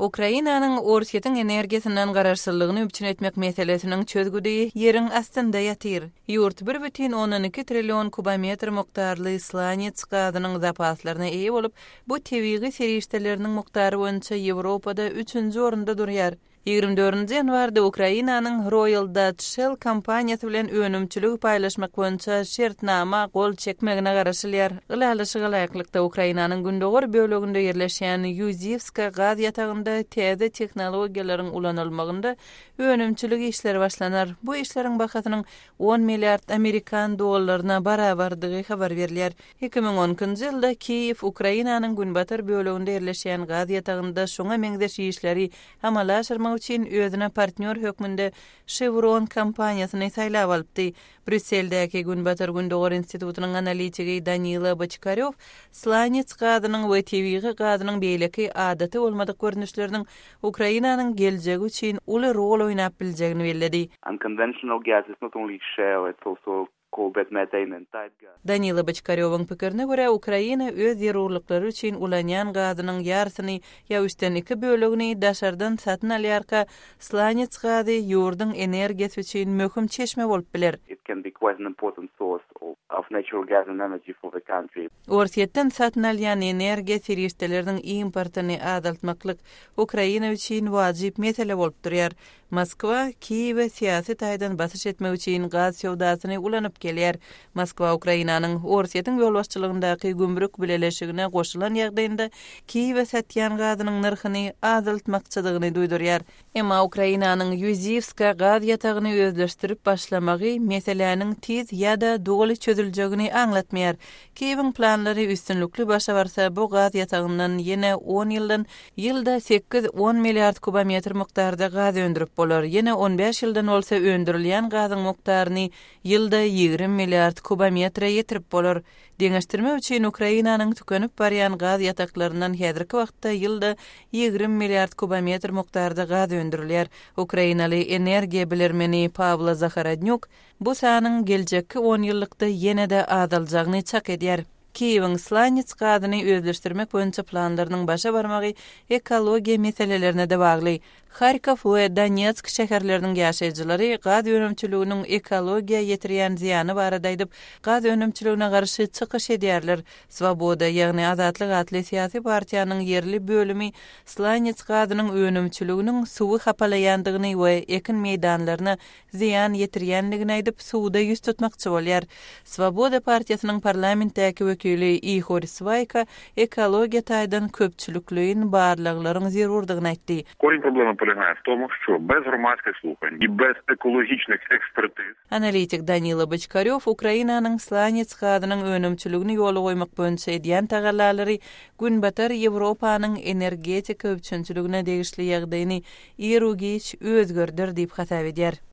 Ukrainanyň Orsýetiň energiýasyndan garaşsyzlygyny üpjün etmek meselesiniň çözgüdi ýeriň astynda ýatyr. Ýurt bir bütin ondan iki trillion kubometr mukdarly slanets gazynyň zapaslaryna eýe bolup, bu tebigy serişdeleriniň mukdary boýunça Ýewropada üçünji orunda durýar. 24 ýanwarda Ukrainanyň Royal Dutch Shell kompaniýasy bilen önümçiligi paýlaşmak boýunça şertnama gol çekmegine garaşylýar. Ylalaşyga laýyklykda, Ukrainanyň gündogar böleginde ýerleşýän Ýuziwska gaz ýatagynda täze tehnologiýalaryň ulanylmagynda önümçilik işleri başlanar. Bu işleriň bahasynyň on milliard amerikan dollaryna barabardygy habar berilýär. 2012-nji ýylda Kiýew Ukrainanyň günbatar böleginde ýerleşýän gaz ýatagynda şuňa meňzeş işleri amala aşyrmak üçin özüne partnýor hökmünde Chevron kompaniýasyny saýlap alypdy. Brýusseldäki Günbatar-Gündogar institutynyň analitigi Danila Boçkarýow slanets gazynyň we tebigy gazynyň beýleki adaty bolmadyk görnüşleriniň Ukrainanyň geljegi üçin uly rol oýnap biljegini belledi. Unconventional gas is not only shale, it's also coal-bed methane and tight gas. Danila Boçkarýowyň pikirine görä, Ukraina öz zerurlyklary üçin ulanýan gazynyň ýarysyny ýa üçden iki bölegini daşardan satyn alýarka, slanets gazy ýurduň energiýasy üçin möhüm çeşme bolup biler. It can be quite an important source of natural gas and energy for the country. Orsýetden satyn alýan energiýa serişdeleriniň importyny azaltmaklyk Ukraina üçin wajyp mesele bolup durýar. Moskwa Kiýewe syýasy taýdan basyş etmek üçin gaz söwdasyny ulanyp gelýär. Moskwa Ukrainanyň Orsýetiň ýolbaşçylygyndaky gümrük bileleşigine goşulan ýagdaýynda Kiýewe satýan gazynyň nyrhyny azaltmakçydygyny duýdurýar. Emma Ukrainanyň Ýuziwska gaz ýatagyny özleşdirip başlamagy meseläniň tiz ýa-da doly çözüljegini aňlatmaýar. Kiýewiň planlary üstünlikli başa barsa, bu gaz ýatagyndan ýene on ýyldan Ýylda sekiz-on milliard kubometr mukdarda gaz öndürip bolar. Ýene on bäş ýyldan bolsa öndürilýän gazyň mukdaryny ýylda 20 milliard kubometre ýetirip bolar. Deňeşdirmek üçin, Ukrainanyň tükenip barýan gaz ýataklaryndan häzirki wagtda ýylda 20 milliard kubometr mukdarda gaz öndürilýär. Ukrainaly energiýa bilermeni Pawlo Zahorodnýuk bu sanyň geljekki onýyllykda ýene-de azaljagyny çak edýär. Kiýewiň slanets gazyny özleşdirmek boýunça planlarynyň başa barmagy ekologiýa meselelerine-de bagly. Harkow we Donetsk şäherleriniň ýaşaýjylary gaz önümçiliginiň ekologiýa ýetirýän zyýany barada aýdyp, gaz önümçiligine garşy çykyş edýärler. Swoboda, ýagny Azatlyk atly syýasy partiýanyň ýerli bölümi slanets gazynyň önümçiliginiň suwy hapalaýandygyny we ekin meýdanlaryna zyýan ýetirýändigini aýdyp, suda ýüz tutmakçy bolýar. Swoboda partiýasynyň parlamentdäki wekili Ihor Swaýka ekologiýa taýdan köpçülikleýin barlaglaryň zerurdygyny aýtdy. Корень проблемы полягає в тому, що без громадських слухань і без екологічних експертиз, Analitik Danila Boçkarýow Ukrainanyň slanets gazynyň önümçiligini ýola goýmak boýunça edýän tagallalary Günbatar Ýewropanyň energetika üpjünçiligine degişli ýagdaýyny iru-giç özgerder diýip hasap edýär.